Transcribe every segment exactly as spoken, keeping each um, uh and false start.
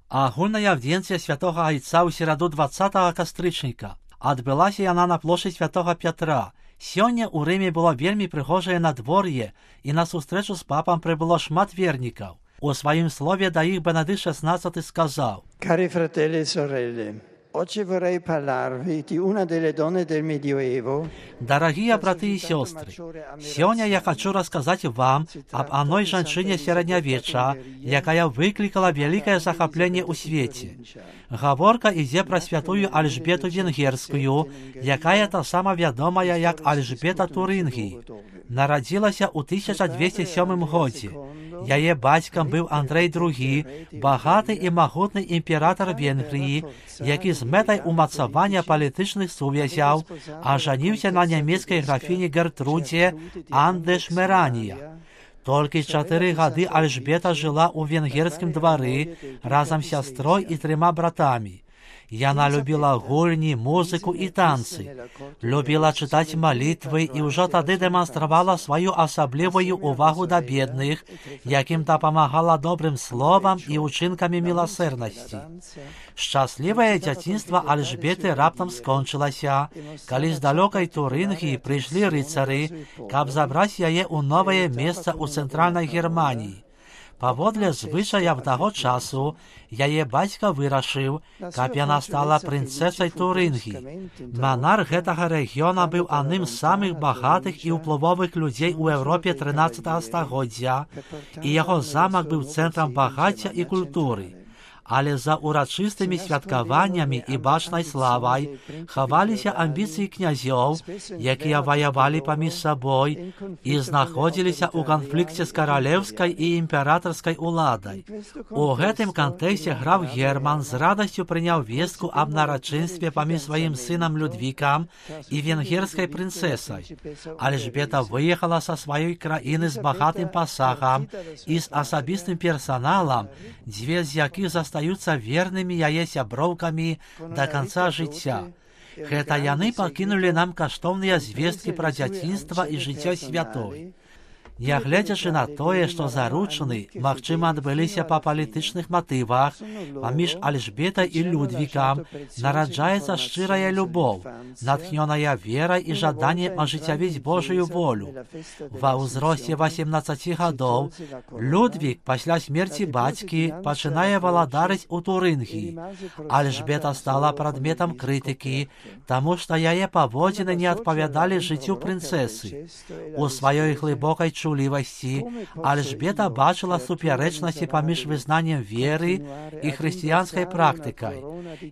Агульная аўдзенцыя святога Айца ў сераду двадцатага кастрычніка. Адбылася яна на плошчы святога Пятра. Сёння ў Рыме было вельмі прыгожае надвор'е, і на сустрэчу з папам прыбыло шмат вернікаў. У сваім слове да іх Бенедыкт шестнадцаты сказаў: Cari fratelli e sorelle, oggi vorrei parlarvi di una delle donne del Medioevo. Дарагія браты і сёстры, сёння я хачу расказаць вам аб адной жанчыне сярэднявечча, якая выклікала вялікае захапленне ў свеце. Гаворка ідзе пра святую Альжбету Венгерскую, якая таксама вядомая як Альжбета Турынгій. Нарадзілася ў тысяча дзвесце сёмым годзе. Яе бацькам быў Андрэй другі, багаты і магутны імператар Венгрыі, які з мэтай умацавання палітычных сувязяў ажаніўся на нямецкай графіні Гертрудзе Андешмеранія. Толькі чатыры гады Альжбета жыла ў венгерскім двары разам з сястрой і трыма братамі. Яна любіла гульні, музыку і танцы, любіла чытаць малітвы і ўжо тады дэманстравала сваю асаблівую увагу да бедных, якім дапамагала добрым словам і ўчынкамі міласэрнасці. Шчаслівае дзяцінства Альжбеты раптам скончылася, калі з далёкай Турынгіі прыйшлі рыцары, каб забраць яе ў новае месца ў цэнтральнай Германіі. Паводле звычаяў таго часу, яе бацька вырашыў, каб яна стала прынцэсай Турынгіі. Манарх гэтага рэгіёна быў адным з самых багатых і ўплывовых людзей у Еўропе трынаццатага стагоддзя, і яго замак быў цэнтрам багацця і культуры. Але за урачыстымі святкаваннямі і бачнай славай хаваліся амбіцыі князёў, якія ваявалі паміж сабой і знаходзіліся ў канфлікце з каралеўскай і імператарскай уладай. У гэтым кантэксце граф Герман з радасцю прыняў вестку аб нарачынстве паміж сваім сынам Людвікам і венгерскай прынцэсай. Альжбета выехала са сваёй краіны з багатым пасагам і з асабістым персаналам, дзве з якіх застаюцца стаюцца вернымі яе сяброўкамі да канца жыцця. Гэта яны пакінулі нам каштоўныя звесткі пра дзяцінства і жыццё святой. Нягледзячы на тое, што заручыны, магчыма, адбыліся па палітычных матывах, паміж Альжбетай і Людвікам нараджаецца шчырая любоў, натхнёная верай і жаданнем ажыццявіць Божую волю. Ва ўзросце васемнаццаці гадоў Людвік пасля смерці бацькі пачынае валадарыць у Турынгіі. Альжбета стала прадметам крытыкі, таму што яе паводзіны не адпавядалі жыццю прынцэсы. У сваёй глыбокай чулівасці Альжбета бачыла супярэчнасці паміж вызнаннем веры і хрысціянскай практыкай.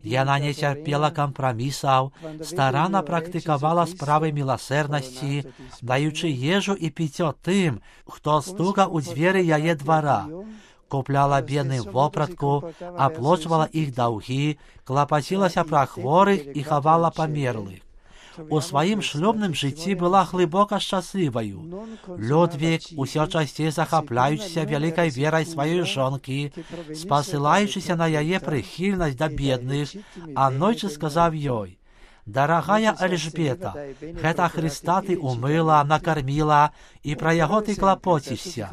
Яна не цярпела кампрамісаў, старанна практыкавала справы міласэрнасці, даючы ежу і піццё тым, хто стука ў дзверы яе двара. Купляла бедным вопратку, аплочвала іх даўгі, клапацілася пра хворых і хавала памерлых. У сваім шлюбным жыцці была глыбока шчасліваю. Людвік, усё часцей захапляючыся вялікай верай сваёй жонкі, спасылаючыся на яе прыхільнасць да бедных, аднойчы сказаў ёй: «Дарагая Альжбета, гэта Хрыста ты умыла, накарміла, і пра яго ты клапоцішся.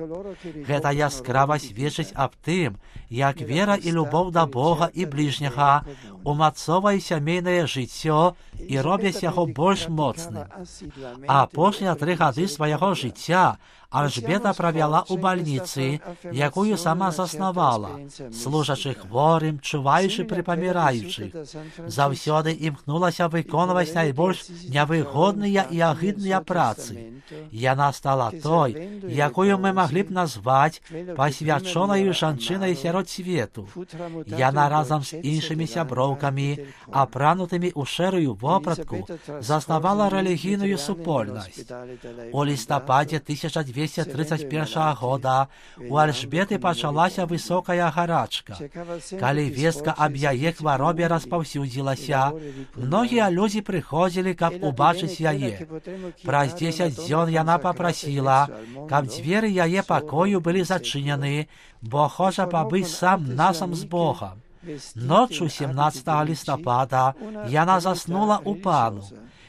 Гэта яскрава сведчыць аб тым, як вера і любоў да Бога і бліжняга умацоўваюць сямейнае жыццё і робяць яго больш моцным». А апошнія тры гады свайго жыцця Альжбета правяла ў бальніцы, якую сама заснавала, служачы хворым, чуваючы пры паміраючых. Заўсёды імкнулася выконваць найбольш нявыгодныя і агідныя працы. Яна стала той, якую мы маглі б назваць пасвячонаю жанчынай сярод свету. Яна разам з іншымі сяброўкамі, апранутымі ў шэрую вопратку, заснавала рэлігійную супольнасць. У лістападзе тысяча дзвесце трыццаць першага года у Альжбеты пачалася высокая гарачка. Калі вестка аб яе хваробе распаўсюдзілася, многія людзі прыходзілі, каб убачыць яе. Праз дзесяць дзён яна папрасіла, каб дзверы яе пакою былі зачынены, бо хоча пабыць сам насам з Богам. Ноччу сямнаццатага лістапада яна заснула ў пану.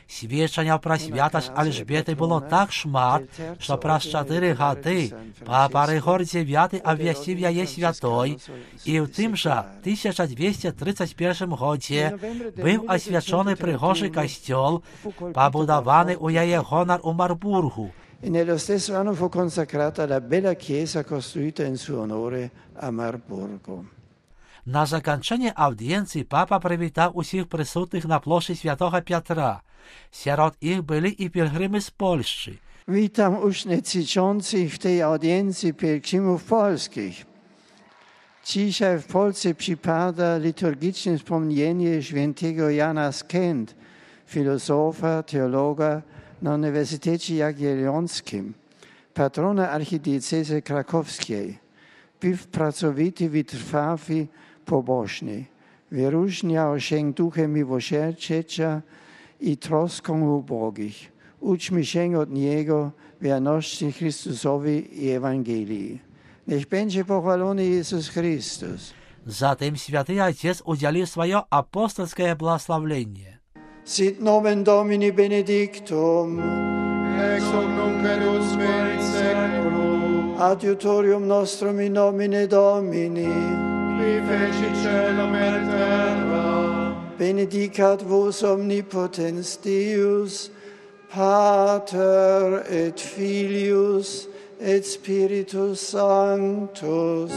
Свідчення про святость Альжбєти було так шмат, що праз чотири годи папа Григорій дев'ятий обвістив її святою, і в тим же тисяча двісті тридцять першому годі був освячений пригожий костел, побудований у її гонор у Марбургу. E nello stesso anno fu consacrata la bella chiesa costruita in suo onore a Marburgo. На закінчення аудієнції папа привітав усіх присутніх на площі Святого Петра. Серед їх були і пілгрими з Польщі. Witam uczestniczących w tej audiencji pielgrzymów polskich. Dzisiaj w Polsce przypada liturgiczne wspomnienie świętego Jana z Kent, filozofa, teologa na Uniwersytecie Jagiellońskim, patrona archidiecezji krakowskiej. Był pracowity, wytrwały, pobożny. Wyróżniał się duchem miłosierdzia i troską ubogich. Uczmy się od Niego wierności Chrystusowi i Ewangelii. Niech będzie pochwalony Jezus Chrystus. Zatem Święty Ojciec udzielił swoje apostolskie błogosławienie. Sit nomen Domini benedictum, ex hoc nunc et usque in seculum, adiutorium nostrum in nomine Domini, qui fecit caelum et terra, benedicat vos omnipotens Deus, Pater et Filius et Spiritus Sanctus.